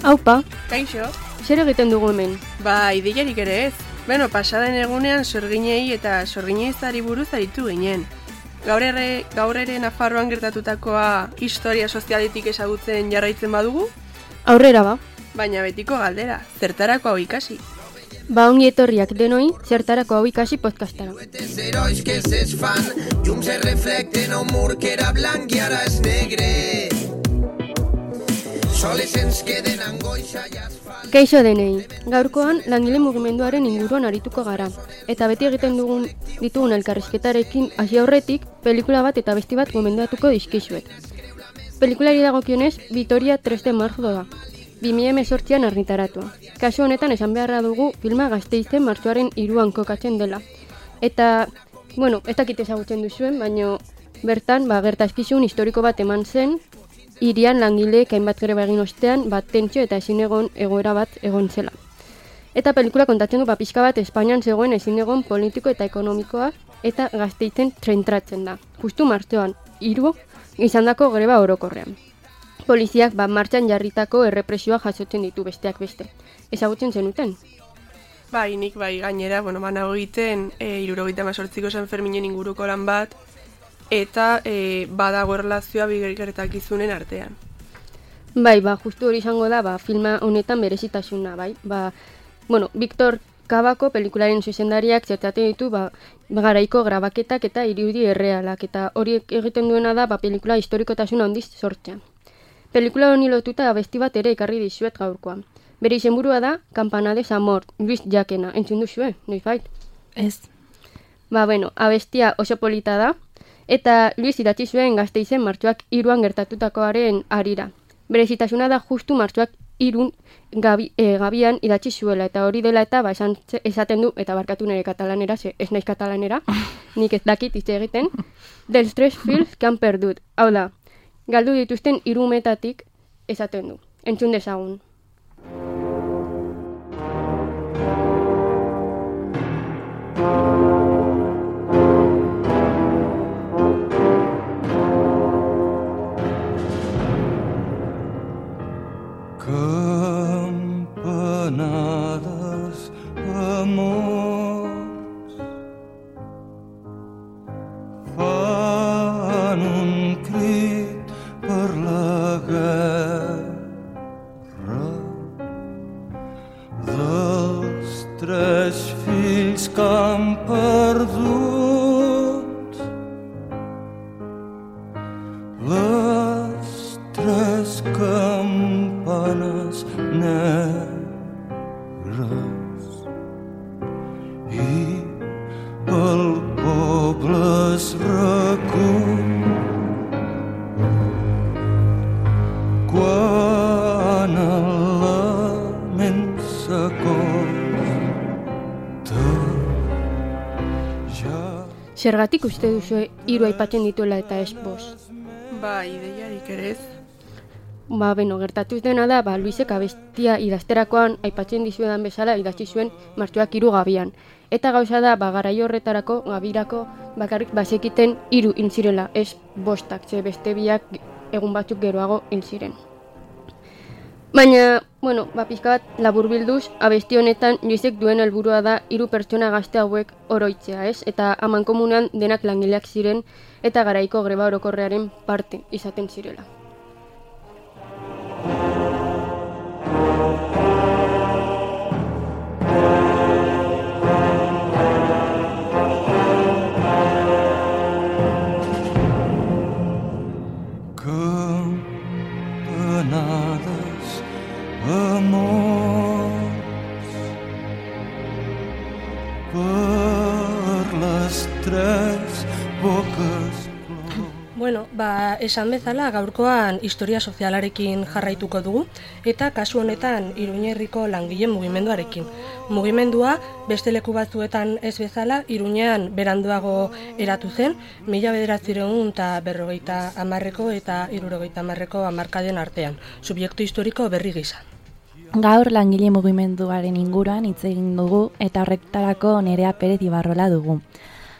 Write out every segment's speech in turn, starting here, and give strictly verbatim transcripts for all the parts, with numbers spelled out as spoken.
Aupa, Kaixo. zer egiten dugu hemen? Ba, ideiarik ere ez. Beno, pasaden egunean sorginei eta sorgineizari buruz aritu ginen. Gaur ere, gaur ere Nafarroan gertatutakoa historia sozialetik ezagutzen jarraitzen badugu? Aurrera ba. Baina betiko galdera, zertarako hau ikasi? Ba ongi etorriak denoi, zertarako hau ikasi podcastara. Herois que s'esfan, llums es reflecten a un mur que era blanc i ara és negre. Soles ens queden angoixa i asfalt. Kaixo denei, gaurkoan langile mugimenduaren inguruan arituko gara. Eta beti egiten dugun ditugun elkarrizketarekin hasi aurretik, pelikula bat eta besti bat gomendatuko dizkizuet. Pelikulari dagokionez, Vitoria tres de marzo da. bi mila hemezortzian argitaratua. Kasu honetan esan beharra dugu filma Gasteizen martxoaren hiruan kokatzen dela. Eta, bueno, ez dakit ezagutzen duzuen, baina bertan ba, gertazkizun historiko bat eman zen, hirian langileek hainbat greba egin ostean, bat tentsio eta ezin egon egoera bat egon zela. Eta pelikula kontatzen du ba, pixka bat Espainian zegoen ezin egon politiko eta ekonomikoa eta Gasteizen zentratzen da. Justu martxoan, hiru izandako greba orokorrean. Poliziak ba, martxan jarritako errepresioa jasotzen ditu besteak beste. Ezagutzen zenuten? Bai, nik bai gainera, bueno, banago egiten e, hirurogeita hemezortziko San Ferminen inguruko lan bat, eta e, badago erlazioa bigertakizunen artean. Bai, ba, justu hori izango da, ba, filma honetan berezitasuna, bai. Ba, bueno, Victor Kabako pelikularen zuzendariak zertatzen ditu, ba, garaiko grabaketak eta irudi errealak, eta hori egiten duena da, ba, pelikula historikotasuna handiz sortzea. Pelikula honi lotuta abesti bat ere ekarri dizuet gaurkoan. Bere izenburua da Campanades Amor, Luis Jakena. Entzun duzue, noizbait? Ez. Ba, bueno, abestia oso polita da, eta Luis idatzi zuen Gasteizen martxoak hiruan gertatutakoaren harira. Berezitasuna da justu martxoak hirun gabi, e, gabian idatzi zuela, eta hori dela eta ba, esan, esaten du, eta barkatu nire katalanera, ze ez naiz katalanera, nik ez dakit hitz egiten, dels tres fils que han perdut. Hau da, galdu dituzten hiru umetatik esaten du. Entzun dezagun. Campanades amors fan un crit per la guerra dels tres fills que han perdut les tres campanes negres i el poble es recull quan el lament s'acosta ja... Zergatik uste duzu hiru aipatzen dituela eta ez bost? Ba, ideiarik ere ez. Ba, beno, gertatuz dena da, ba, Luisek abestia idazterakoan aipatzen dizuedan bezala idatzi zuen martxoak hiru gabian. Eta gauza da, ba, garai horretarako, gabirako, bakarrik bazekiten hiru hil zirela, ez bostak, ze beste biak egun batzuk geroago hil ziren. Baina, bueno, ba, pixka bat laburbilduz, abesti honetan Luisek duen helburua da hiru pertsona gazte hauek oroitzea, ez? Eta amankomunean denak langileak ziren eta garaiko greba orokorrearen parte izaten zirela. Campanades amors per les tres boques. Bueno, ba, esan bezala gaurkoan historia sozialarekin jarraituko dugu eta kasu honetan Iruñerriko langile mugimenduarekin. Mugimendua beste leku batzuetan ez bezala Iruñean beranduago eratu zen, mila bederatziehun eta berrogeita hamarreko eta hirurogeita hamarreko hamarkaden artean, subjektu historiko berri gisa. Gaur langile mugimenduaren inguruan hitz egin dugu eta horretarako Nerea Perez Ibarrola dugu.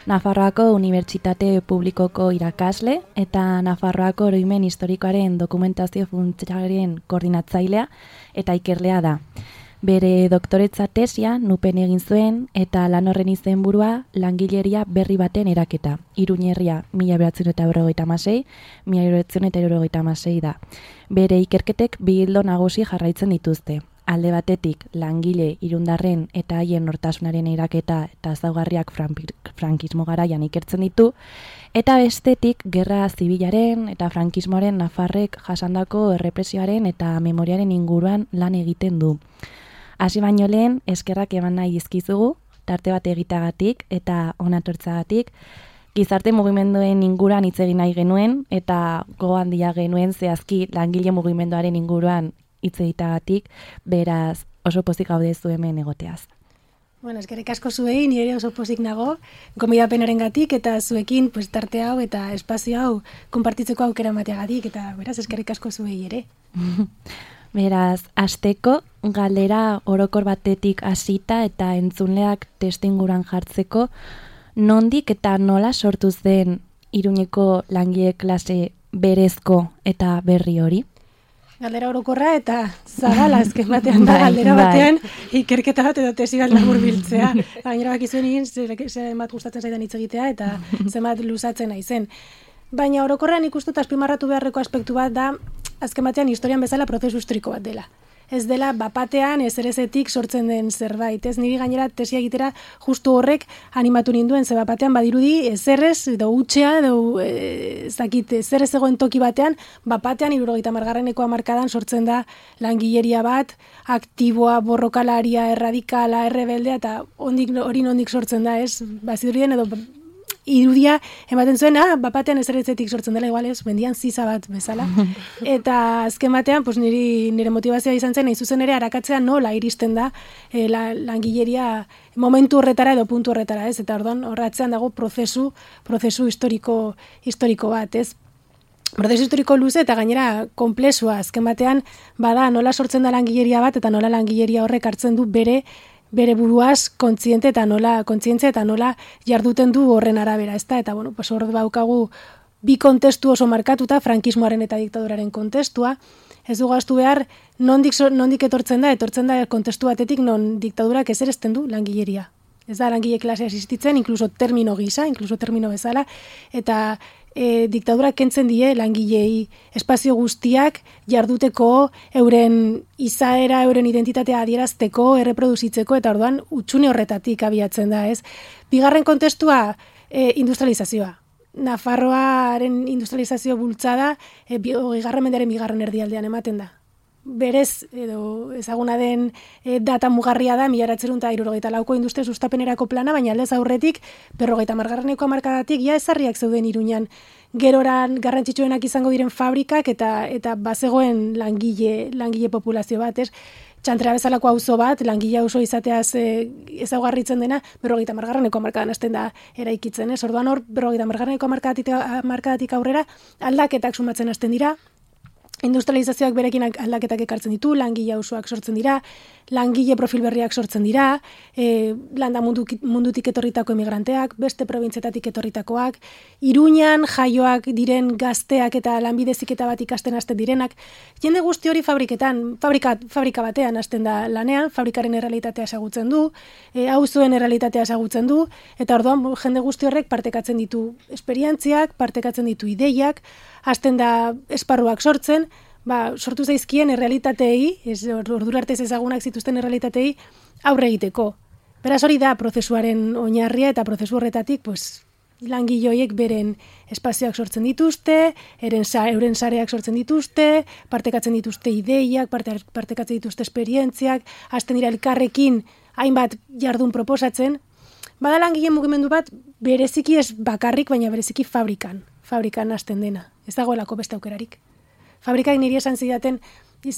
Nafarroako Unibertsitate Publikoko irakasle eta Nafarroako Oroimen Historikoaren Dokumentazio Funtsaren koordinatzailea eta ikerlea da. Bere doktoretza tesia Nupen egin zuen eta lan horren izenburua langileria berri baten eraketa. Iruñerria mila bederatziehun eta berrogeita hamasei, mila bederatziehun eta hirurogeita hamasei da. Bere ikerketek bi ildo nagusi jarraitzen dituzte. Alde batetik langile irundarren eta haien nortasunaren eraketa eta ezaugarriak frankismo garaian ikertzen ditu, eta bestetik gerra zibilaren eta frankismoaren Nafarrek jasandako errepresioaren eta memoriaren inguruan lan egiten du. Hasi baino lehen, eskerrak eman nahi dizkizugu, tarte bat egitagatik eta onatortzagatik, gizarte mugimenduen inguruan hitz egin nahi genuen eta gogo handia genuen zehazki langile mugimenduaren inguruan hitz egitagatik, beraz oso pozik gaude zu hemen egoteaz. Bueno, eskerrik asko zuei, nire oso pozik nago, gonbidapenarengatik eta zuekin pues, tarte hau eta espazio hau konpartitzeko aukera emateagatik eta beraz eskerrik asko zuei ere. Beraz, hasteko galdera orokor batetik hasita eta entzunleak testuinguruan jartzeko, nondik eta nola sortu zen Iruñeko langile klase berezko eta berri hori? Galdera orokorra eta zabala azken batean da, galdera batean ikerketa bat edo tesi bat laburbiltzea. Gainera bakizuen egin, zenbat gustatzen zaidan hitz egitea eta zenbat luzatzen naizen. Baina orokorrean ikustut azpimarratu beharreko aspektu bat da, azken batean historian bezala prozesu historiko bat dela. Ez dela bapatean ezerezetik sortzen den zerbait. Ez niri gainera tesia egitera justu horrek animatu ninduen, ze bapatean badirudi ezerrez, edo utxea, edo ez dakit ezerrez egoen toki batean, bapatean hirurogeita hamargarreneko hamarkadan sortzen da langileria bat, aktiboa, borrokalaria, erradikala, errebeldea, eta ondik, hori nondik sortzen da, ez? Bazirudien edo irudia ematen zuen, ah, bapatean ezerezetik sortzen dela, igual ez, bendian ziza bat bezala. Eta azken batean, pues, niri, nire motivazioa izan zen, nahi zuzen ere arakatzea nola iristen da eh, la, langileria momentu horretara edo puntu horretara, ez? Eta orduan horratzean dago prozesu, prozesu historiko, historiko bat, ez? Prozesu historiko luze eta gainera konplexua, azken batean, bada nola sortzen da langileria bat eta nola langileria horrek hartzen du bere bere buruaz kontziente eta nola kontzientzia eta nola jarduten du horren arabera, ezta? Eta bueno, pues hor daukagu bi kontestu oso markatuta, frankismoaren eta diktaduraren kontestua. Ez dugu ahaztu behar nondik nondik etortzen da, etortzen da kontestu batetik non diktadurak ezeresten du langileria. Ez da langile klasea existitzen, inkluso termino gisa, inkluso termino bezala, eta E, diktadurak kentzen die langilei espazio guztiak jarduteko, euren izaera, euren identitatea adierazteko, erreproduzitzeko, eta orduan utxune horretatik abiatzen da, ez? Bigarren kontestua, e, industrializazioa. Nafarroaren industrializazio bultzada, e, bigarren mendearen bigarren erdialdean ematen da. Berez, edo ezaguna den e, data mugarria da, mila bederatziehun eta hirurogeita lauko industria sustapenerako plana, baina aldez aurretik, berrogeita hamargarreneko hamarkadatik, ja ezarriak zeuden Iruñan. Geroran garrantzitsuenak izango diren fabrikak eta eta bazegoen langile, langile populazio bat, ez? Txantrera bezalako auzo bat, langile auzo izateaz e, ezaugarritzen dena, berrogeita hamargarreneko hamarkadan hasten da eraikitzen, ez? Orduan hor, berrogeita hamargarreneko hamarkadatik aurrera, aldaketak sumatzen hasten dira. Industrializazioak berekin aldaketak ekartzen ditu, langile auzoak sortzen dira, langile profil berriak sortzen dira, e, landa mundu, mundutik etorritako emigranteak, beste probintzietatik etorritakoak, Iruñan jaioak diren gazteak eta lanbide heziketa bat ikasten hasten direnak, jende guzti hori fabriketan, fabrika, fabrika batean hasten da lanean, fabrikaren errealitatea ezagutzen du, e, auzoen errealitatea ezagutzen du, eta orduan jende guzti horrek partekatzen ditu esperientziak, partekatzen ditu ideiak, hasten da esparruak sortzen, ba, sortu zaizkien errealitateei, ez ordura arte ezagunak zituzten errealitateei aurre egiteko. Beraz hori da prozesuaren oinarria eta prozesu horretatik, pues, langile horiek beren espazioak sortzen dituzte, eren, euren sareak sortzen dituzte, partekatzen dituzte ideiak, parte, partekatzen dituzte esperientziak, hasten dira elkarrekin hainbat jardun proposatzen. Bada langile mugimendu bat bereziki ez bakarrik, baina bereziki fabrikan, fabrikan hasten dena. Ez dagoelako beste aukerarik. Fabrikak niri esan zidaten,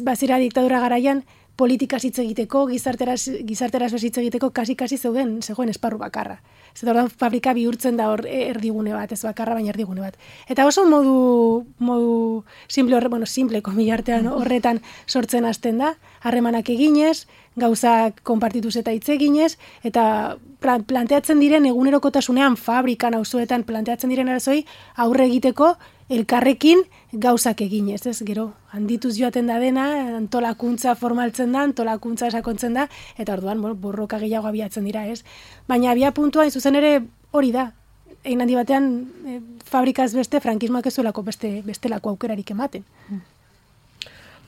bazira diktadura garaian, politikaz hitz egiteko, gizarteraz, gizarteraz hitz egiteko, kasi-kasi zeuden, zegoen esparru bakarra. Ez da, fabrika bihurtzen da hor erdigune bat, ez bakarra, baina erdigune bat. Eta oso modu, modu simple horre, bueno, simple, komilartean horretan sortzen hasten da, harremanak eginez, gauzak konpartituz eta hitz eginez, eta planteatzen diren egunerokotasunean, fabrikan, auzoetan planteatzen diren arazoi, aurre egiteko elkarrekin gauzak eginez, ez? Gero, handituz joaten da dena, antolakuntza formaltzen da, antolakuntza esakontzen da, eta orduan, bueno, borroka gehiago abiatzen dira, ez? Baina abia puntua, zuzen ere, hori da. Egin handi batean, e, fabrikaz beste, frankismoak ez zuelako beste, bestelako aukerarik ematen.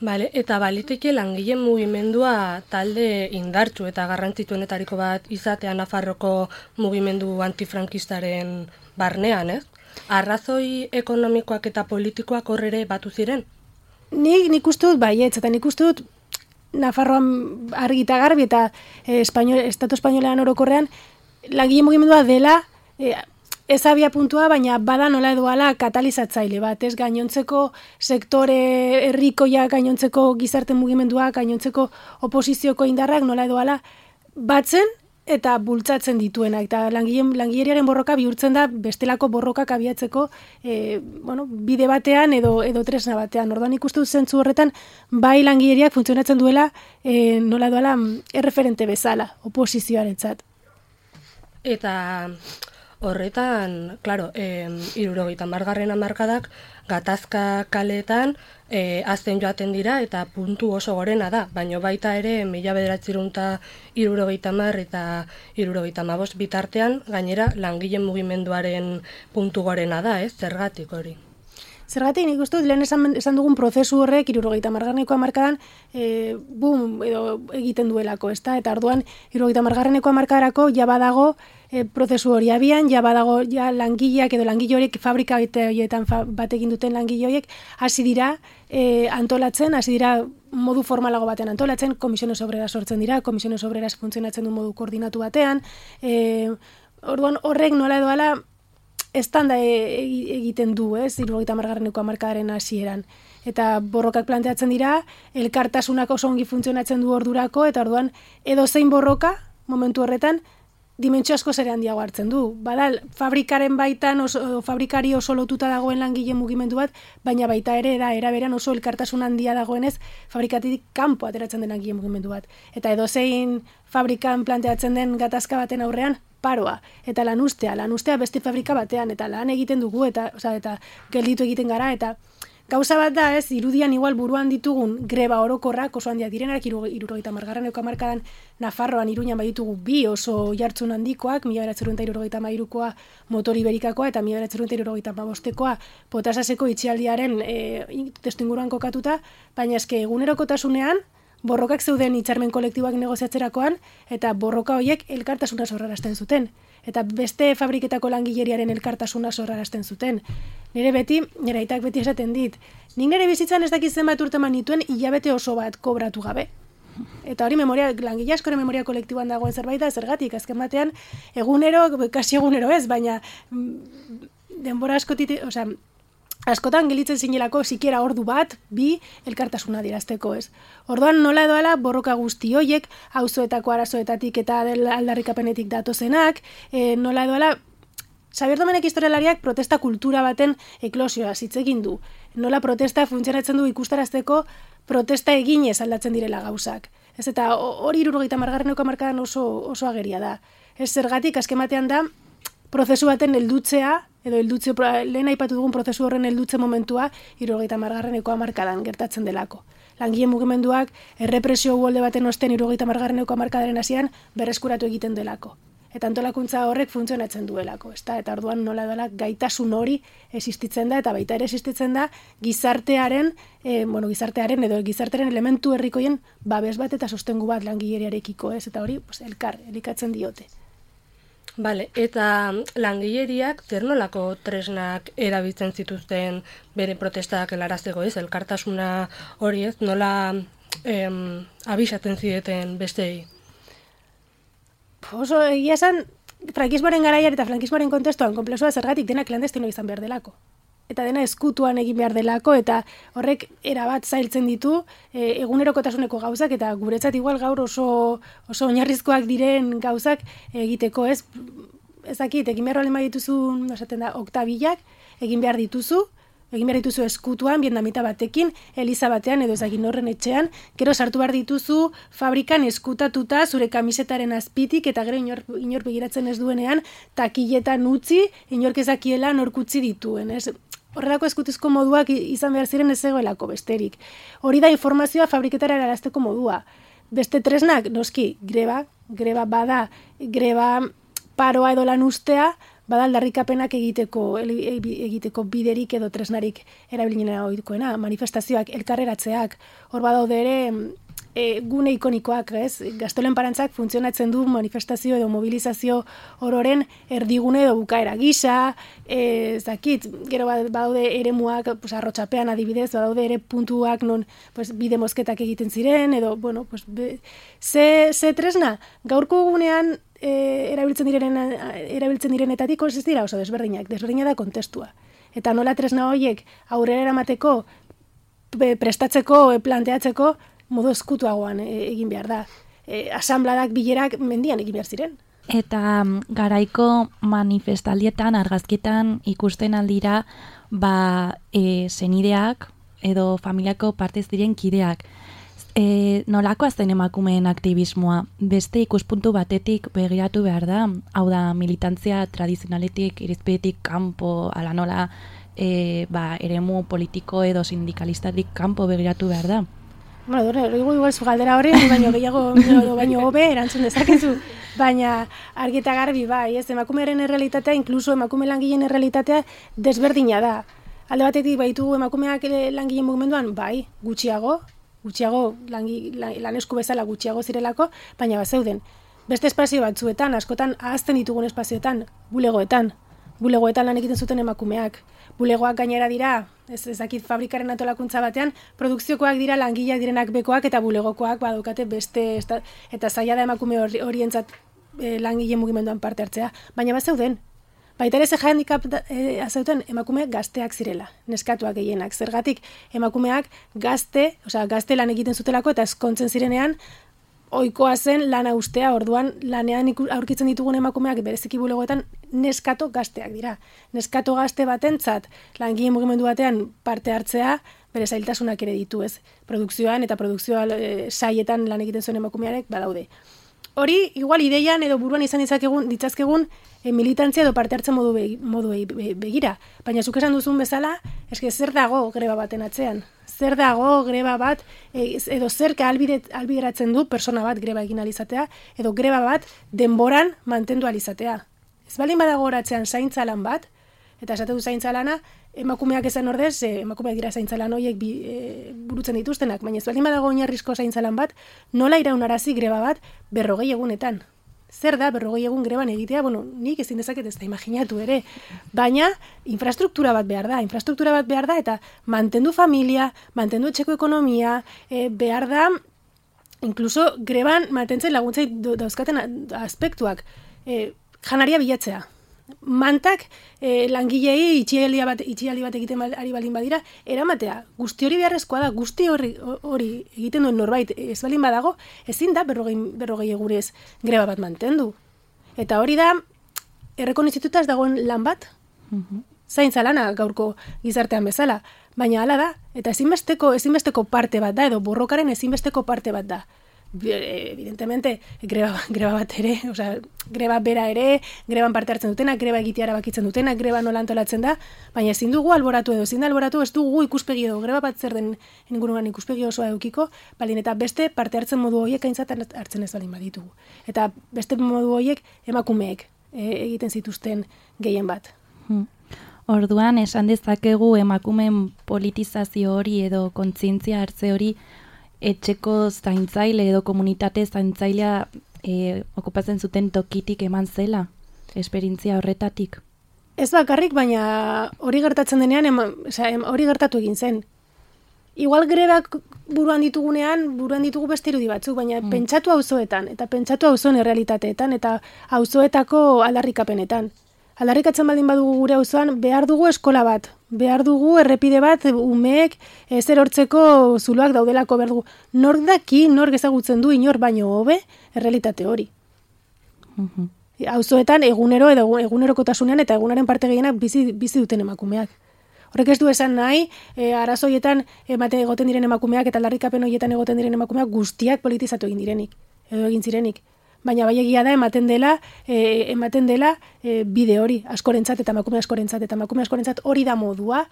Bale, eta baliteke langileen mugimendua talde indartsu eta garrantzituenetariko bat izatea Nafarroko mugimendu antifrankistaren barnean, ez? Arrazoi ekonomikoak eta politikoak horrere batu ziren? Nik, nik uste dut baietz, eta nik uste dut Nafarroan argi eta garbi eta eh, espainol, Estatu Espainolean orokorrean langile mugimendua dela eh, ez abia puntua, baina bada nola edoala katalizatzaile bat, ez gainontzeko sektore herrikoia, gainontzeko gizarte mugimendua, gainontzeko oposizioko indarrak nola edoala batzen eta bultzatzen dituena, eta langileen langileriaren borroka bihurtzen da bestelako borrokak abiatzeko e, bueno, bide batean edo edo tresna batean. Orduan ikustu zentzu horretan bai langileriak funtzionatzen duela e, nola doala erreferente bezala oposizioarentzat. Eta horretan, claro, eh, hirurogeita hamargarren hamarkadak gatazka kaleetan eh, azten joaten dira eta puntu oso gorena da, baina baita ere mila bederatziehun eta hirurogeita hamar eta hirurogeita hamabost bitartean gainera langileen mugimenduaren puntu gorena da, ez? Zergatik hori? Zergatik nik uste dut lehen esan, esan dugun prozesu horrek hirurogeita hamargarreneko hamarkadan e, boom edo egiten duelako, ezta? Eta orduan hirurogeita hamargarreneko hamarkadarako ja badago e, prozesu hori abian, ja badago ja langileak edo langile horiek fabrika horietan fa, bat egin duten langile horiek hasi dira e, antolatzen, hasi dira modu formalago batean antolatzen, komisiones obreras sortzen dira, komisiones obreras funtzionatzen du modu koordinatu batean, e, orduan horrek nola edo ala estanda egiten du, ez, hirurogeita hamargarreneko hamarkadaren hasieran. Eta borrokak planteatzen dira, elkartasunak oso ongi funtzionatzen du ordurako, eta orduan edozein borroka, momentu horretan, dimentsio asko zere handiago hartzen du. Badal, fabrikaren baitan, oso, fabrikari oso lotuta dagoen langile mugimendu bat, baina baita ere, da, eraberan oso elkartasun handia dagoenez, fabrikatik kanpo ateratzen den langile mugimendu bat. Eta edozein fabrikan planteatzen den gatazka baten aurrean, paroa, eta lanustea, lanustea beste fabrika batean, eta lan egiten dugu, eta, oza, eta gelditu egiten gara, eta gauza bat da, ez, irudian igual buruan ditugun greba orokorrak oso handiak direnak, hirurogeita hamargarreneko hamarkadan Nafarroan Iruñan baditugu bi oso jartzun handikoak, mila bederatziehun eta hirurogeita hamairukoa motor iberikakoa, eta mila bederatziehun eta hirurogeita hamabostekoa potasaseko itxialdiaren e, testu inguruan kokatuta, baina eske egunerokotasunean, borrokak zeuden hitzarmen kolektiboak negoziatzerakoan, eta borroka horiek elkartasuna sorrarazten zuten. Eta beste fabriketako langileriaren elkartasuna sorrarazten zuten. Nire beti, nire aitak beti esaten dit, nik nire bizitzan ez dakit zenbat urteman nituen hilabete oso bat kobratu gabe. Eta hori memoria, langile askoren memoria kolektiboan dagoen zerbait da, zergatik, azken batean, egunero, kasi egunero ez, baina denbora askotit, osea, askotan gelitzen zinelako sikiera ordu bat, bi, elkartasuna dirazteko, ez. Orduan nola edoala borroka guzti hoiek, auzoetako arazoetatik eta aldarrikapenetik datozenak, e, nola edoala, Xabier Domenek historialariak protesta kultura baten eklosioa hitz egin du. Nola protesta funtzionatzen du ikustarazteko protesta eginez aldatzen direla gauzak. Ez eta hori hirurogeita hamargarreneko hamarkadan oso, oso ageria da. Ez zergatik azken batean da, prozesu baten heldutzea, edo heldutze, lehen aipatu dugun prozesu horren heldutze momentua hirurogeita hamargarreneko hamarkadan gertatzen delako. Langile mugimenduak errepresio uholde baten osten hirurogeita hamargarreneko hamarkadaren hasieran berreskuratu egiten delako. Eta antolakuntza horrek funtzionatzen duelako, ezta? Eta orduan nola dela gaitasun hori existitzen da, eta baita ere existitzen da gizartearen, eh, bueno, gizartearen edo gizartearen elementu herrikoien babes bat eta sostengu bat langileriarekiko, ez? Eta hori, pues, elkar, elikatzen diote. Bale, eta langileriak zer nolako tresnak erabiltzen zituzten bere protestak helarazteko, ez? Elkartasuna hori, ez? Nola em, abisatzen zideten bestei? Oso, egia esan, frankismoaren garaian eta frankismoaren kontestuan konplexua zergatik dena klandestino izan behar delako. eta dena eskutuan egin behar delako, eta horrek erabat zailtzen ditu e, egunerokotasuneko gauzak, eta guretzat igual gaur oso, oso oinarrizkoak diren gauzak egiteko, ez? Ezakit, egin behar baldin badituzu, esaten da, oktabilak, egin behar dituzu, egin behar dituzu eskutuan, vietnamita batekin, eliza batean, edo ezagin horren etxean, gero sartu behar dituzu fabrikan eskutatuta zure kamisetaren azpitik, eta gero inor, inor begiratzen ez duenean, takiletan utzi, inork ezakiela nork utzi dituen, ez? Horrelako eskutuzko moduak izan behar ziren ez zegoelako besterik. Hori da informazioa fabriketara erarazteko modua. Beste tresnak, noski, greba, greba bada, greba paroa edo lan ustea, bada aldarrikapenak egiteko, egiteko biderik edo tresnarik erabilinena ohikoena, manifestazioak, elkarreratzeak, hor badaude ere e, gune ikonikoak, ez? Gaztolen parantzak funtzionatzen du manifestazio edo mobilizazio ororen erdigune edo bukaera gisa, ez dakit, gero badaude eremuak, pues, arrotxapean adibidez, badaude ere puntuak non pues, bide mozketak egiten ziren, edo, bueno, pues, be, ze, ze tresna, gaurko gunean E, erabiltzen direnen erabiltzen direnetatik ez dira oso desberdinak, desberdina da kontestua. Eta nola tresna horiek aurrera eramateko, prestatzeko, e, planteatzeko modu eskutuagoan e, egin behar da. E, asambladak, bilerak mendian egin behar ziren. Eta garaiko manifestaldietan, argazkitan ikusten aldira, ba, e, senideak edo familiako partez diren kideak. E, nolakoa zen emakumeen aktivismoa? Beste ikuspuntu batetik begiratu behar da, hau da militantzia tradizionaletik, irizpidetik kanpo, ala nola, e, ba, eremu politiko edo sindikalistatik kanpo begiratu behar da. Bueno, dure, hori igual zu galdera hori, baino gehiago, baino hobe erantzun dezakezu, baina argi eta garbi bai, ez, emakumearen errealitatea, inkluso emakume langileen errealitatea desberdina da. Alde batetik baitu emakumeak langileen mugimenduan, bai, gutxiago, gutxiago, langi, lanesku bezala gutxiago zirelako, baina bazeuden. Beste espazio batzuetan, askotan ahazten ditugun espazioetan, bulegoetan. Bulegoetan lan egiten zuten emakumeak. Bulegoak gainera dira, ez ezakit fabrikaren antolakuntza batean, produkziokoak dira langileak direnak bekoak eta bulegokoak badukate beste, eta zaila da emakume horientzat e, langile mugimenduan parte hartzea. Baina bazeuden. Baita ere ze handicap e, azeuten emakume gazteak zirela, neskatuak gehienak. Zergatik emakumeak gazte, osea gazte lan egiten zutelako eta eskontzen zirenean ohikoa zen lana ustea, orduan lanean aurkitzen ditugun emakumeak bereziki bulegoetan neskato gazteak dira. Neskato gazte batentzat langile mugimendu batean parte hartzea bere zailtasunak ere ditu, ez? Produkzioan eta produkzioa e, saietan lan egiten zuen emakumearek badaude. Hori, igual ideian edo buruan izan ditzakegun, ditzazkegun e, militantzia edo parte hartzen modu be, modu be, begira. Baina zuk esan duzun bezala, eske zer dago greba baten atzean? Zer dago greba bat, e, edo zer albideratzen du persona bat greba egin alizatea, edo greba bat denboran mantendu alizatea. Ez baldin badago horatzean zaintza lan bat, eta esate du zaintza lana, emakumeak esan ordez, e, emakumeak dira zaintza lan horiek bi, e, burutzen dituztenak, baina ez baldin badago oinarrizko zaintza lan bat, nola iraunarazi greba bat berrogei egunetan. Zer da berrogei egun greban egitea? Bueno, nik ezin dezaket ez da imaginatu ere, baina infrastruktura bat behar da, infrastruktura bat behar da, eta mantendu familia, mantendu etxeko ekonomia, e, behar da, inkluso greban mantentzen laguntzai dauzkaten aspektuak, e, janaria bilatzea. Mantak eh, langilei itxialdi bat, itxialdi bat egiten ari baldin badira, eramatea. Guzti hori beharrezkoa da, guzti hori, hori egiten duen norbait ez baldin badago, ezin da berrogei, berrogei egurez greba bat mantendu. Eta hori da, errekonizituta ez dagoen lan bat, zaintza lana gaurko gizartean bezala, baina hala da, eta ezinbesteko, ezinbesteko parte bat da, edo borrokaren ezinbesteko parte bat da. Evidentemente, greba, greba bat ere, osea, greba bera ere, greban parte hartzen dutena, greba egitea erabakitzen dutena, greba nola antolatzen da, baina ezin dugu alboratu edo, ezin da alboratu, ez dugu ikuspegi edo, greba bat zer den inguruan ikuspegi osoa edukiko, baldin eta beste parte hartzen modu horiek aintzat hartzen ez baldin baditugu. Eta beste modu horiek emakumeek e, egiten zituzten gehien bat. Hmm. Orduan, esan dezakegu emakumeen politizazio hori edo kontzientzia hartze hori etxeko zaintzaile edo komunitate zaintzailea e, okupatzen zuten tokitik eman zela, esperientzia horretatik? Ez bakarrik, baina hori gertatzen denean, ema, oza, em, hori gertatu egin zen. Igual grebak buruan ditugunean, buruan ditugu beste irudi batzuk, baina mm. pentsatu auzoetan, eta pentsatu auzoen errealitateetan, eta auzoetako aldarrikapenetan. aldarrikatzen baldin badugu gure auzoan, behar dugu eskola bat, behar dugu errepide bat, umeek ezer hortzeko zuloak daudelako behar dugu. Nork daki, nork ezagutzen du inor baino hobe, errealitate hori. Mhm. Auzoetan egunero edo egunerokotasunean eta egunaren parte gehienak bizi, bizi duten emakumeak. Horrek ez du esan nahi, e, arazoietan emate egoten diren emakumeak eta aldarrikapen horietan egoten diren emakumeak guztiak politizatu egin direnik, edo egin zirenik. Baina bai egia da ematen dela, e, ematen dela e, bide hori, askorentzat eta emakume askorentzat, eta emakume askorentzat hori da modua,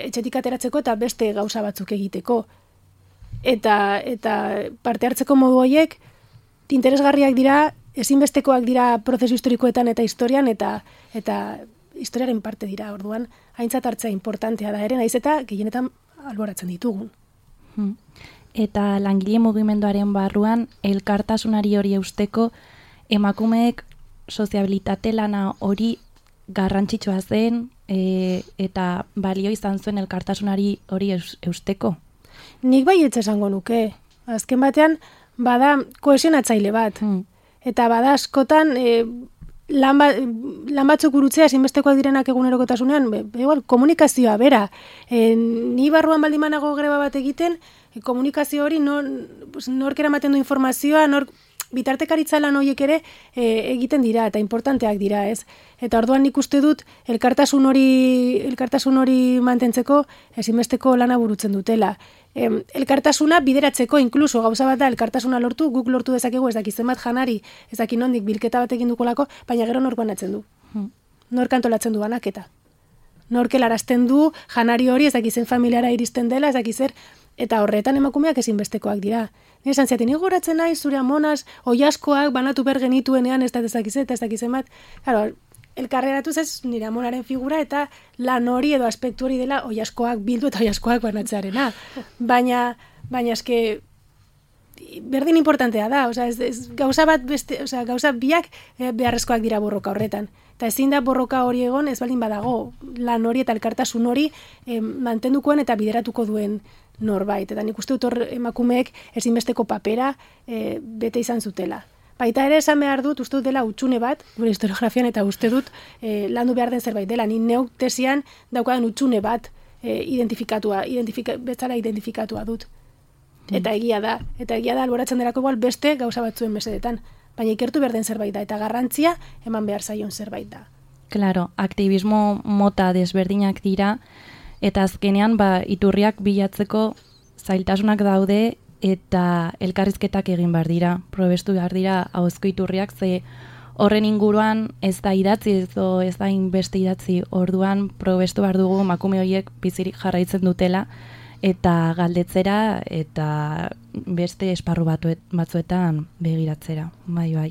etxetik ateratzeko eta beste gauza batzuk egiteko. Eta, eta parte hartzeko modu horiek, interesgarriak dira, ezinbestekoak dira prozesu historikoetan eta historian, eta eta historiaren parte dira, orduan, aintzat hartzea importantea da ere, naiz eta gehienetan alboratzen ditugun. Hmm. Eta langile mugimenduaren barruan, elkartasunari hori eusteko, emakumeek soziabilitate lana hori garrantzitsua zen, e, eta balio izan zuen elkartasunari hori eusteko? Nik bai etxe esango nuke. Azken batean, bada kohesionatzaile bat. Hmm. Eta bada askotan, e, lan, ba, lan batzuk urutzea ezinbestekoak direnak egunerokotasunean, be, igual, komunikazioa bera. E, ni barruan baldin banago greba bat egiten, e, komunikazio hori nor, nork eramaten du informazioa, nork bitartekaritza lan horiek ere e, egiten dira eta importanteak dira, ez? Eta orduan nik uste dut elkartasun hori elkartasun hori mantentzeko ezinbesteko lana burutzen dutela. E, elkartasuna bideratzeko inkluso gauza bat da elkartasuna lortu, guk lortu dezakegu ez daki zenbat janari, ez daki nondik bilketa bat egin dukolako, baina gero nork banatzen du. Hmm. Nork antolatzen du banaketa. Nork helarazten du janari hori ez daki zen familiara iristen dela, ez daki zer, eta horretan emakumeak ezinbestekoak dira. Nire esan ziaten, igoratzen nahi, zure amonaz, oiaskoak banatu behar genituenean, ez da ez dakiz eta ez dakizen bat. Claro, elkarreratuz ez nire amonaren figura eta lan hori edo aspektu hori dela oiaskoak bildu eta oiaskoak banatzearena. Baina, baina eske, berdin importantea da, osea, ez, ez, gauza bat beste, osea, gauza biak eh, beharrezkoak dira borroka horretan. Eta ezin da borroka hori egon, ez baldin badago, lan hori eta elkartasun hori eh, mantendukoen eta bideratuko duen norbait. Eta nik uste dut hor emakumeek ezinbesteko papera e, bete izan zutela. Baita ere esan behar dut, uste dut dela utxune bat, gure historiografian, eta uste dut e, landu behar den zerbait dela. Ni neuk tesian daukadan utxune bat e, identifikatua, identifika, betzala identifikatua dut. Eta egia da, eta egia da alboratzen delako igual beste gauza batzuen mesedetan. Baina ikertu behar den zerbait da, eta garrantzia eman behar zaion zerbait da. Claro, aktivismo mota desberdinak dira, eta azkenean ba, iturriak bilatzeko zailtasunak daude eta elkarrizketak egin behar dira. Probestu behar dira ahozko iturriak, ze horren inguruan ez da idatzi, ez, do, ez da inbeste idatzi. Orduan probestu behar dugu emakume horiek bizirik jarraitzen dutela eta galdetzera eta beste esparru batuet, batzuetan begiratzera. Bai, bai.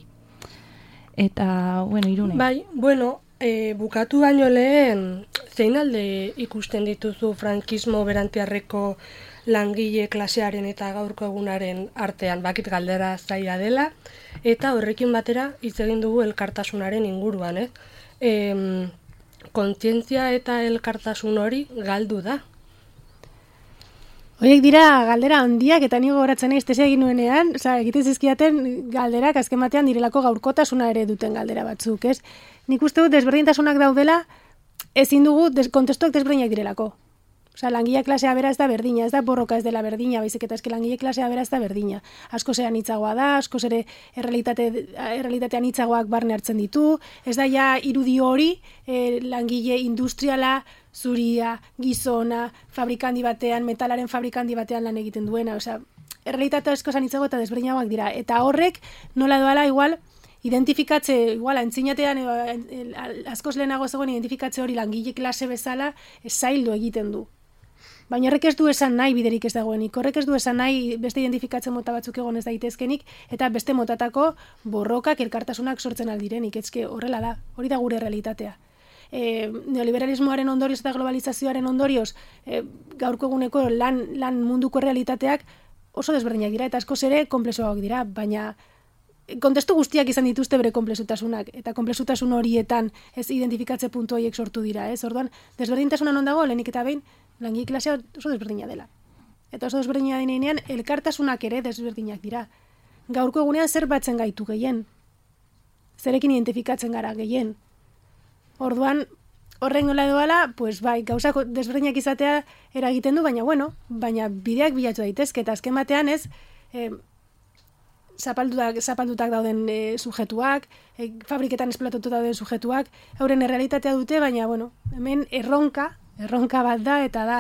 Eta, bueno, Irune. Bai, bueno, E, bukatu baino lehen, zein alde ikusten dituzu frankismo berantiarreko langile klasearen eta gaurko egunaren artean, bakit galdera zaila dela, eta horrekin batera hitz egin dugu elkartasunaren inguruan, eh? E, kontzientzia eta elkartasun hori galdu da. Horiek dira galdera handiak eta nigo goratzen naiz tesia egin nuenean, osea, egiten zizkiaten galderak azken batean direlako gaurkotasuna ere duten galdera batzuk, ez? Nik uste dut desberdintasunak daudela, ezin dugu des, kontestuak desberdinak direlako. Osea, langile klasea bera ez da berdina, ez da borroka ez dela berdina, baizik eta eske langile klasea bera ez da berdina. Asko zean hitzagoa da, asko ere errealitate, errealitatean hitzagoak barne hartzen ditu, ez da ja irudi hori eh, langile industriala, zuria, gizona, fabrikandi batean, metalaren fabrikandi batean lan egiten duena, osea, errealitatea asko zean hitzago eta desberdinagoak dira. Eta horrek nola doala igual, identifikatze, igual, antzinatean askoz lehenago zegoen identifikatze hori langile klase bezala zaildu egiten du. Baina horrek ez du esan nahi biderik ez dagoenik, horrek ez du esan nahi beste identifikatze mota batzuk egon ez daitezkenik, eta beste motatako borrokak elkartasunak sortzen aldirenik, ezke horrela da, hori da gure realitatea. E, neoliberalismoaren ondorioz eta globalizazioaren ondorioz e, gaurko eguneko lan, lan munduko realitateak oso desberdinak dira, eta askoz ere komplexuagoak dira, baina kontestu guztiak izan dituzte bere komplexutasunak, eta komplexutasun horietan ez identifikatze puntu horiek sortu dira, ez? Orduan, desberdintasuna non dago, lehenik eta behin, langile klasea oso desberdina dela. Eta oso desberdina denean, elkartasunak ere desberdinak dira. Gaurko egunean zer batzen gaitu gehien? Zerekin identifikatzen gara gehien? Orduan, horren nola edoala, pues bai, gauzak desberdinak izatea eragiten du, baina bueno, baina bideak bilatu daitezke, eta azken batean ez, eh, zapaldutak, zapaldutak dauden e, sujetuak, e, fabriketan esplatutu dauden sujetuak, euren errealitatea dute, baina bueno, hemen erronka, erronka bat da, eta da,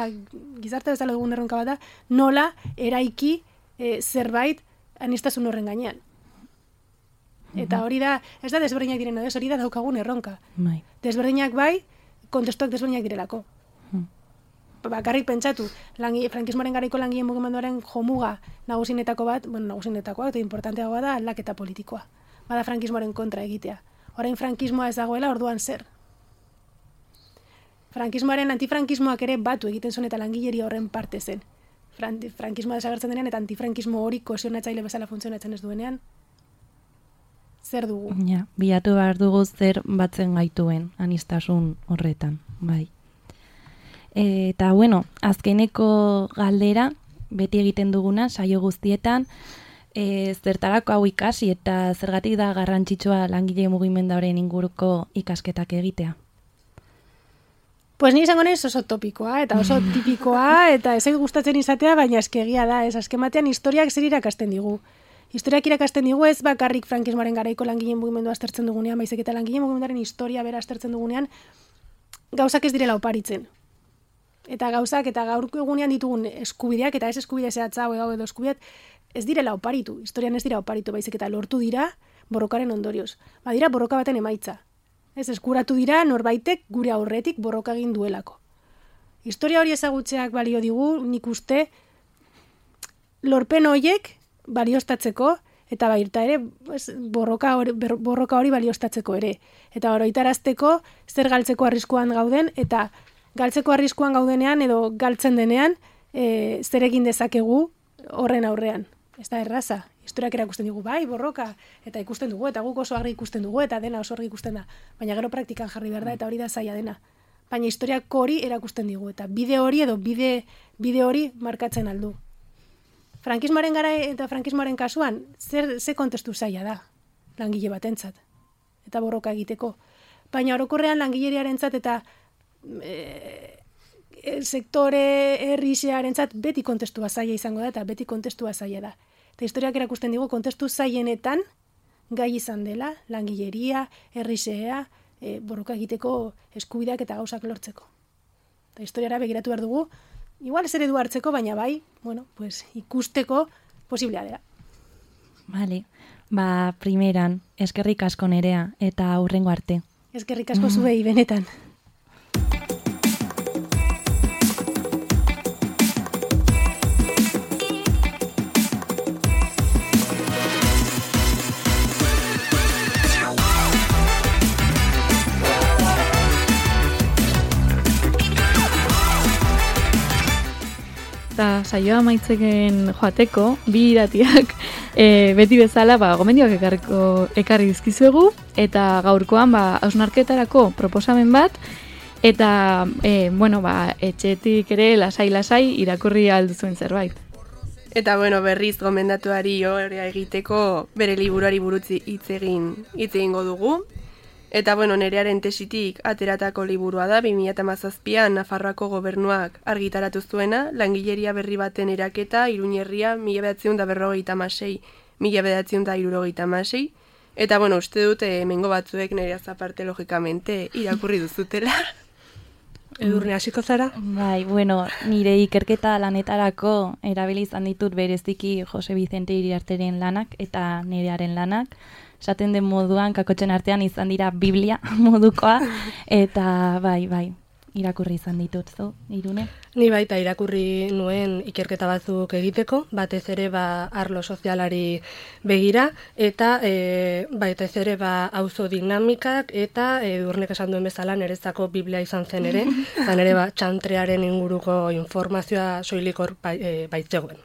gizarte bezala dugun erronka bat da, nola eraiki e, zerbait anistasun horren gainean. Eta hori da, ez da desberdinak diren, ez hori da daukagun erronka. Bai. Desberdinak bai, kontestuak desberdinak direlako. Bakarrik pentsatu, langi, frankismoaren garaiko langileen mugimenduaren jomuga nagusinetako bat, bueno, nagusinetakoa, eta importanteagoa da aldaketa politikoa. Bada frankismoaren kontra egitea. Orain frankismoa ez dagoela, orduan zer. Frankismoaren antifrankismoak ere batu egiten zuen eta langileria horren parte zen. Fran, frankismoa desagertzen denean eta antifrankismo hori kohesionatzaile bezala funtzionatzen ez duenean, zer dugu? Ja, bilatu behar dugu zer batzen gaituen anistasun horretan, bai. Eta, bueno, azkeneko galdera, beti egiten duguna, saio guztietan, e, zertarako hau ikasi eta zergatik da garrantzitsua langile mugimenduaren inguruko ikasketak egitea? Pues ni izango naiz oso topikoa, eta oso tipikoa, eta ez gustatzen izatea, baina eskegia da, ez azken batean historiak zer irakasten digu. Historiak irakasten digu ez bakarrik frankismoaren garaiko langileen mugimendua aztertzen dugunean, baizik eta langileen mugimenduaren historia bera aztertzen dugunean, gauzak ez direla oparitzen. Eta gauzak eta gaur egunean ditugun eskubideak, eta ez eskubide zehatza hau edo eskubideak, ez direla oparitu. Historian ez dira oparitu, baizik eta lortu dira borrokaren ondorioz. Badira borroka baten emaitza. Ez eskuratu dira norbaitek gure aurretik borroka egin duelako. Historia hori ezagutzeak balio digu, nik uste, lorpen horiek balioztatzeko, eta baita ere borroka hori, borroka hori balioztatzeko ere. Eta oroitarazteko zer galtzeko arriskuan gauden, eta galtzeko arriskuan gaudenean edo galtzen denean e, zer egin dezakegu horren aurrean. Ez da erraza. Historiak erakusten digu, bai, borroka, eta ikusten dugu, eta guk oso argi ikusten dugu, eta dena oso argi ikusten da. Baina gero praktikan jarri behar da, eta hori da zaila dena. Baina historiak hori erakusten digu, eta bide hori edo bide, bide hori markatzen aldu. Frankismoaren gara eta frankismoaren kasuan, zer, ze kontestu zaila da, langile batentzat, eta borroka egiteko. Baina orokorrean langileriarentzat eta e, sektore herrixearentzat beti kontestua zaila izango da, eta beti kontestua zaila da. Eta historiak erakusten digu kontestu zailenetan gai izan dela, langileria, herrixea, e, borroka egiteko eskubideak eta gauzak lortzeko. Eta historiara begiratu behar dugu, igual ez eredu hartzeko, baina bai, bueno, pues, ikusteko posiblea dela. Vale, ba, primeran, eskerrik asko Nerea, eta hurrengo arte. Eskerrik asko zuei, benetan. Eta saioa maitzeken joateko, bi iratiak e, beti bezala ba, gomendioak ekarriko, ekarri dizkizuegu, eta gaurkoan ba, hausnarketarako proposamen bat, eta e, bueno, ba, etxetik ere lasai-lasai irakurri alduzuen zerbait. Eta bueno, berriz gomendatuari hori egiteko bere liburuari burutzi hitz egin hitz egingo dugu. Eta bueno, Nerearen tesitik ateratako liburua da, bi mila hamazazpian Nafarroako gobernuak argitaratu zuena, langileria berri baten eraketa, Iruñerria, mila bederatziehun eta berrogeita hamasei, mila bederatziehun eta hirurogeita hamasei. Eta bueno, uste dute hemengo batzuek Nerea aparte logikamente irakurri duzutela. Edurne hasiko zara? Bai, bueno, nire ikerketa lanetarako erabili izan ditut bereziki Jose Vicente Iriarteren lanak eta Nerearen lanak. Esaten den moduan, kakotxen artean izan dira Biblia modukoa, eta bai, bai, irakurri izan ditut, zo, Irune? Ni baita irakurri nuen ikerketa batzuk egiteko, batez ere ba arlo sozialari begira, eta e, batez ere ba auzo dinamikak, eta Edurnek esan duen bezala nerezako Biblia izan zen ere, eta nere ba txantrearen inguruko informazioa soilikor bai, e, baitzegoen.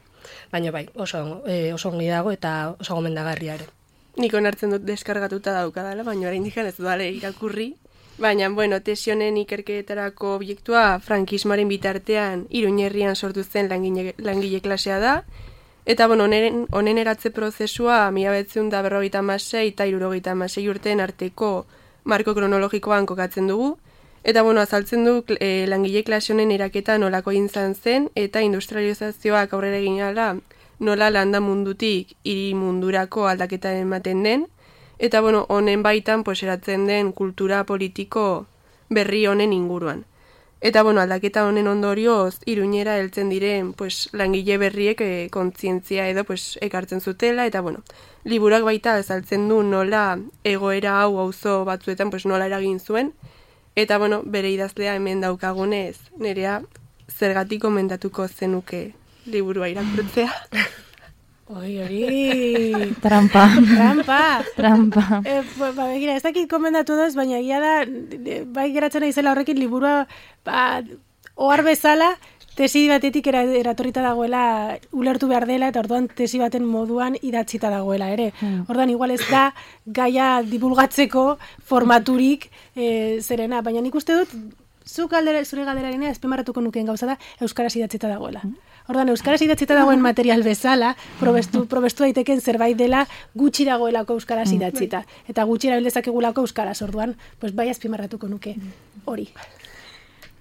Baina bai, oso, e, oso ongi dago eta oso gomendagarria ere. Nik onartzen dut deskargatuta daukadala, baina orain dikan ez dudale irakurri. Baina, bueno, tesionen ikerketarako obiektua frankismoaren bitartean Iruñerrian sortu zen langile, langile klasea da. Eta, bueno, honen, honen eratze prozesua mila bederatziehun eta berrogeita hamasei eta hirurogeita hamasei urteen arteko marko kronologikoan kokatzen dugu, eta bueno, azaltzen du e, langile klase honen eraketa nolako izan zen, eta industrializazioak aurrera egin ala, nola landa mundutik hiri mundurako aldaketa ematen den, eta bueno, honen baitan pues, eratzen den kultura politiko berri honen inguruan. Eta bueno, aldaketa honen ondorioz Iruñera heltzen diren pues, langile berriek e, kontzientzia edo pues, ekartzen zutela, eta bueno, liburuak baita azaltzen du nola egoera hau auzo batzuetan pues, nola eragin zuen, eta bueno, bere idazlea hemen daukagunez, nerea zergatik komendatuko zenuke liburua irakurtzea. Oi, hori... Trampa. Trampa. Trampa. E, ba, begira, ez dakit komendatu doz, baina egia da, bai geratzen naizela horrekin liburua, ba, ohar bezala, tesi batetik era, eratorrita dagoela, ulertu behar dela, eta orduan tesi baten moduan idatzita dagoela, ere. Hmm. Orduan, igual ez da, gaia divulgatzeko formaturik e, zerena, baina nik uste dut, zuk aldera, zure galderarena, ezpemarratuko nukeen gauza da, euskaraz idatzita dagoela. Hmm. Ordan euskaraz idatzita dagoen material bezala, probestu, probestu daiteken zerbait dela gutxi dagoelako euskaraz idatzita. Eta gutxi erabil dezakegulako euskaraz, orduan, pues bai azpimarratuko nuke hori.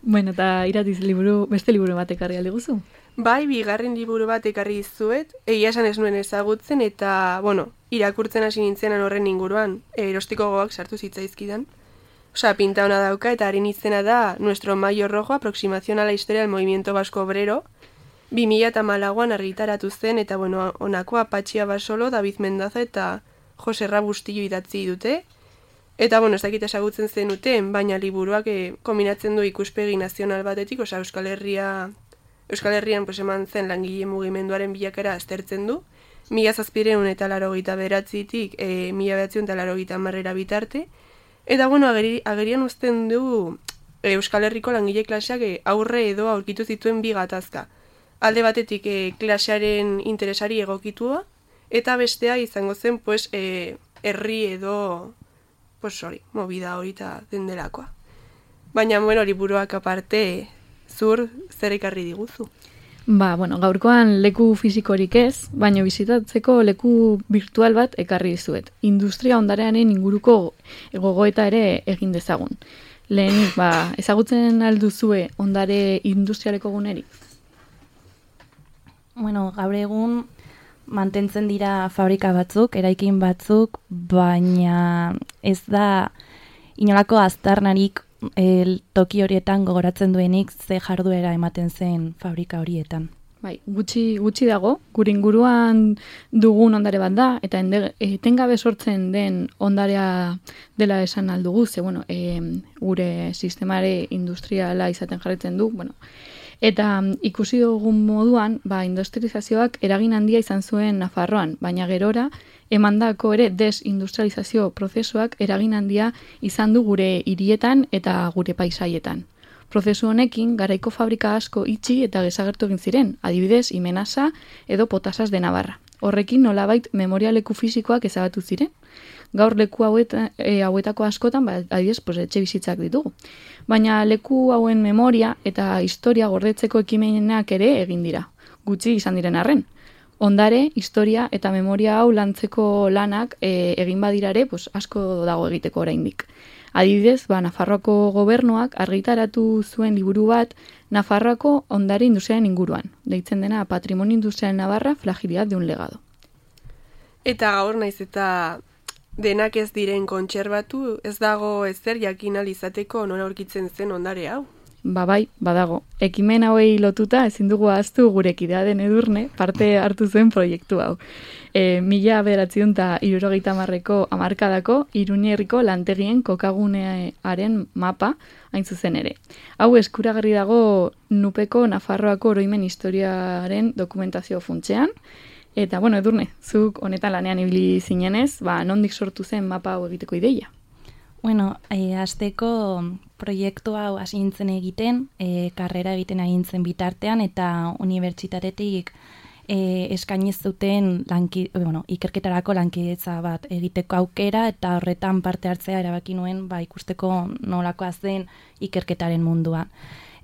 Bueno, eta Iratiz liburu, beste liburu bat ekarri aldi guzu? Bai, bigarren liburu bat ekarri dizuet, egia esan ez nuen ezagutzen, eta, bueno, irakurtzen hasi nintzenan horren inguruan, erostiko gogoak sartu zitzaizkidan. Osa, pinta hona dauka, eta haren izena da Nuestro Mayo Rojo, aproximación a la historia del movimiento vasco obrero, bi mila hamalauan argitaratu zen, eta bueno, honakoa Patxia Basolo, David Mendaza eta Jose Rabustillo idatzi dute. Eta bueno, ez dakit ezagutzen zenuten, baina liburuak eh, kombinatzen du ikuspegi nazional batetik, osea Euskal Herria, Euskal Herrian pues, eman zen langile mugimenduaren bilakera aztertzen du, mila zazpireun eta laurogeita beratzitik e, mila behatziun eta laurogeita hamarrera bitarte. Eta bueno, ageri, agerian uzten du e, Euskal Herriko langile klaseak e, aurre edo aurkitu zituen bi gatazka. Alde batetik e, klasearen interesari egokitua, eta bestea izango zen pues, e, herri edo pues, hori, movida hori eta dendelakoa. Baina, bueno, liburuak aparte, zur zer ekarri diguzu? Ba, bueno, gaurkoan leku fisikorik ez, baina bizitatzeko leku virtual bat ekarri dizuet. Industria ondarearen inguruko gogoeta ere egin dezagun. Lehenik, ba, ezagutzen alduzue ondare industrialeko gunerik? Bueno, gaur egun mantentzen dira fabrika batzuk, eraikin batzuk, baina ez da inolako aztarnarik el toki horietan gogoratzen duenik ze jarduera ematen zen fabrika horietan. Bai, gutxi, gutxi dago, gure inguruan dugun ondare bat da, eta ende, etengabe sortzen den ondarea dela esan aldugu, ze, bueno, e, gure sistemare industriala izaten jarretzen du, bueno, eta ikusi dugun moduan, ba, industrializazioak eragin handia izan zuen Nafarroan, baina gerora, emandako ere desindustrializazio prozesuak eragin handia izan du gure hirietan eta gure paisaietan. Prozesu honekin, garaiko fabrika asko itxi eta desagertu egin ziren, adibidez, Imenasa edo Potasas de Navarra. Horrekin nolabait memorialeku fisikoak ezabatu ziren. Gaur leku haueta, e, hauetako askotan, ba, adibidez, pues, etxe bizitzak ditugu. Baina leku hauen memoria eta historia gordetzeko ekimenak ere egin dira, gutxi izan diren arren. Ondare, historia eta memoria hau lantzeko lanak e, egin badirare pues, asko dago egiteko oraindik. Adibidez, ba, Nafarroako gobernuak argitaratu zuen liburu bat Nafarroako ondare industriaren inguruan, deitzen dena Patrimonio Industrial Navarra, Fragilidad de un legado. Eta gaur naiz eta denak ez diren kontserbatu, ez dago ezer jakin ahal izateko nola aurkitzen zen ondare hau. Ba bai, badago. Ekimen hauei lotuta ezin dugu ahaztu gure kidea den Edurne parte hartu zuen proiektu hau. E, mila bederatziehun eta hirurogeita hamarreko hamarkadako Iruñerriko lantegien kokagunearen mapa hain zuzen ere. Hau eskuragarri dago Nupeko Nafarroako oroimen historiaren dokumentazio funtsean. Eta, bueno, Edurne, zuk honetan lanean ibili zinenez, ba, nondik sortu zen mapa hau egiteko ideia? Bueno, e, azteko proiektu hau hasi nintzen egiten, e, karrera egiten agintzen bitartean, eta unibertsitatetik e, eskainiz zuten lanki, bueno, ikerketarako lankidetza bat egiteko aukera, eta horretan parte hartzea erabaki nuen ba, ikusteko nolakoa zen ikerketaren mundua.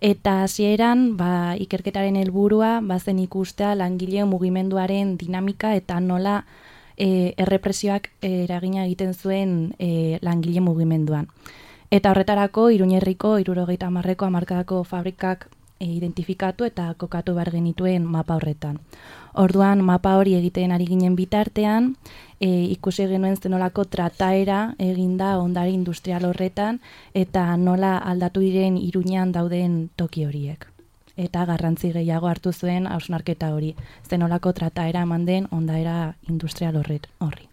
Eta hasieran ba, ikerketaren helburua bazen ikustea langile mugimenduaren dinamika eta nola e, errepresioak eragina egiten zuen e, langile mugimenduan. Eta horretarako Iruñerriko hirurogeita hamarreko hamarkadako fabrikak e, identifikatu eta kokatu behar genituen mapa horretan. Orduan mapa hori egiten ari ginen bitartean, e, ikusi genuen zenolako trataera eginda ondare industrial horretan eta nola aldatu diren Iruñean dauden toki horiek. Eta garrantzi gehiago hartu zuen hausnarketa hori, zenolako trataera eman den ondaera industrial horret horri.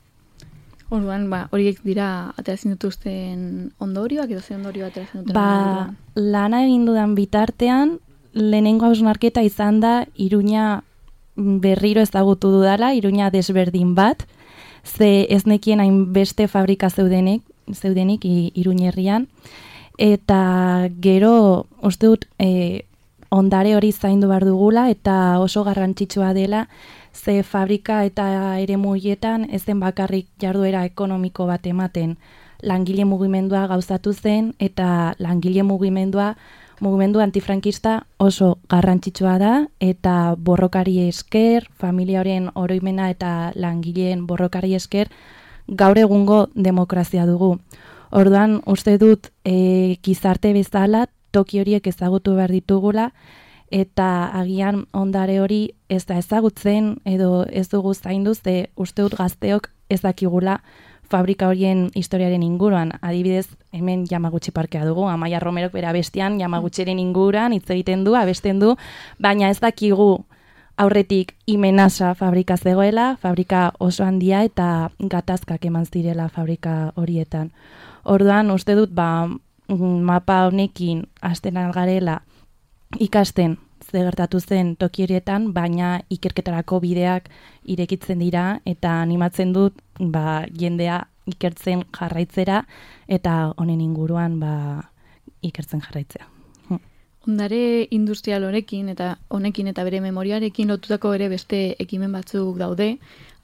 Orduan, ba, horiek dira ateratzen dituzten ondorioak edo ze ondorio ateratzen duten? Ba, lana egin dudan bitartean, lehenengo hausnarketa izan da Iruña berriro ezagutu dudala, Iruña desberdin bat, ze ez nekien hainbeste fabrika zeudenik, zeudenik Iruñerrian, eta gero, uste dut, e, ondare hori zaindu behar dugula eta oso garrantzitsua dela, ze fabrika eta eremu horietan ez zen bakarrik jarduera ekonomiko bat ematen. Langile mugimendua gauzatu zen eta langile mugimendua, mugimendu antifrankista oso garrantzitsua da eta borrokari esker, familia horien oroimena eta langileen borrokari esker gaur egungo demokrazia dugu. Orduan, uste dut e, gizarte bezala toki horiek ezagutu behar ditugula, eta agian ondare hori ez da ezagutzen edo ez dugu zaindu, ze uste dut gazteok ezakigula fabrika horien historiaren inguruan. Adibidez, hemen Yamaguchi parkea dugu, Amaia Romerok bera bestian Yamaguchiren inguruan hitz egiten du, abesten du, baina ez dakigu aurretik Imenasa fabrika zegoela, fabrika oso handia eta gatazkak eman zirela fabrika horietan. Orduan, uste dut, ba, mapa honekin hasten algarela ikasten ze gertatu zen toki horietan, baina ikerketarako bideak irekitzen dira eta animatzen dut ba, jendea ikertzen jarraitzera eta honen inguruan ba, ikertzen jarraitzea. Ondare industrial honekin eta honekin eta bere memoriarekin lotutako ere beste ekimen batzuk daude.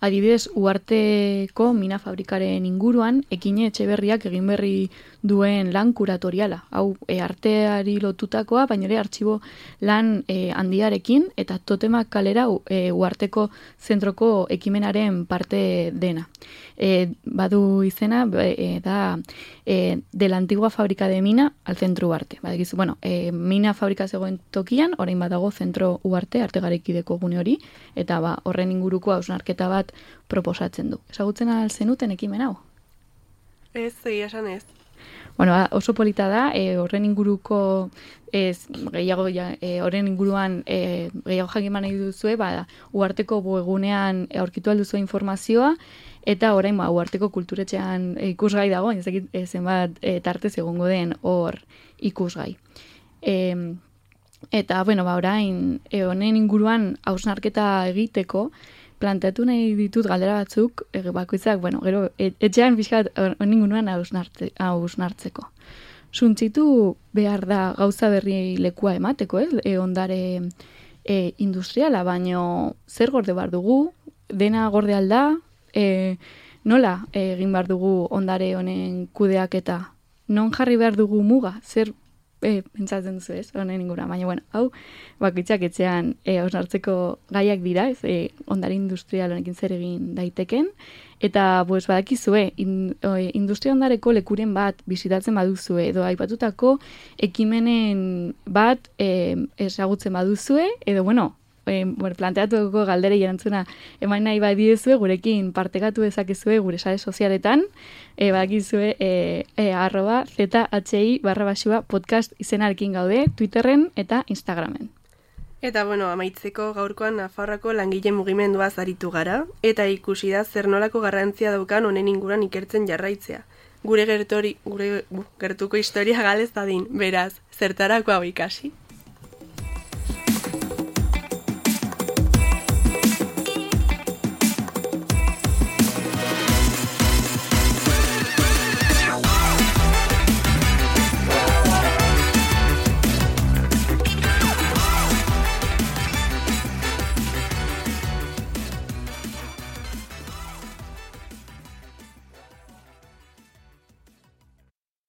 Adibidez, Uharteko mina fabrikaren inguruan, Ekine Etxeberriak egin berri duen lan kuratoriala. Hau, e, arteari lotutakoa, baina ere artxibo lan e, handiarekin, eta Totemak kalera e, Uharteko zentroko ekimenaren parte dena. E, badu izena, e, da e, de la antigua fábrica de mina al centro Uharte. Badakizu, bueno, e, mina fabrika zegoen tokian, orain badago zentro Uharte, arte garekideko gune hori, eta ba, horren inguruko hausnarketa bat proposatzen du. Ezagutzen al zenuten ekimen hau? Ez, egia esan ez. Bueno, oso polita da, e, horren inguruko ez, gehiago, ja, e, horren inguruan e, gehiago jakin nahi duzue, ba, Uharteko webgunean aurkitu alduzu informazioa, eta orain ba, Uharteko kulturetxean e, ikusgai dago, ez dakit e, zenbat e, tartez egongo den hor ikusgai. E, eta, bueno, ba, orain e, honen inguruan hausnarketa egiteko, planteatu nahi ditut galdera batzuk, e, bakoitzak, bueno, gero, et, etxean pixkat honen inguruan hausnartzeko. Suntzitu behar da gauza berri lekua emateko, ez? E, ondare e, industriala, baino zer gorde behar dugu, dena gorde alda, e, nola egin behar dugu ondare honen kudeaketa, non jarri behar dugu muga, zer e, pentsatzen duzu ez, honen ingura, baina bueno, hau, bakoitzak etxean e, hausnartzeko gaiak dira, ez, e, ondare industrial honekin zer egin daiteken, eta pues, badakizue, in, e, industria ondareko lekuren bat bisitatzen baduzue, edo aipatutako ekimenen bat e, ezagutzen baduzue, edo bueno, E, bueno, planteatuko galderei erantzuna eman nahi badiezue, gurekin partekatu dezakezue gure sare sozialetan, e, badakizue e, e, arroba zhi barra basua podcast izenarekin gaude, Twitterren eta Instagramen. Eta bueno, amaitzeko gaurkoan Nafarroako langile mugimenduaz aritu gara, eta ikusi da zer nolako garrantzia daukan honen inguruan ikertzen jarraitzea. Gure gertori, gure gertuko historia galez dadin, beraz, zertarako hau ikasi?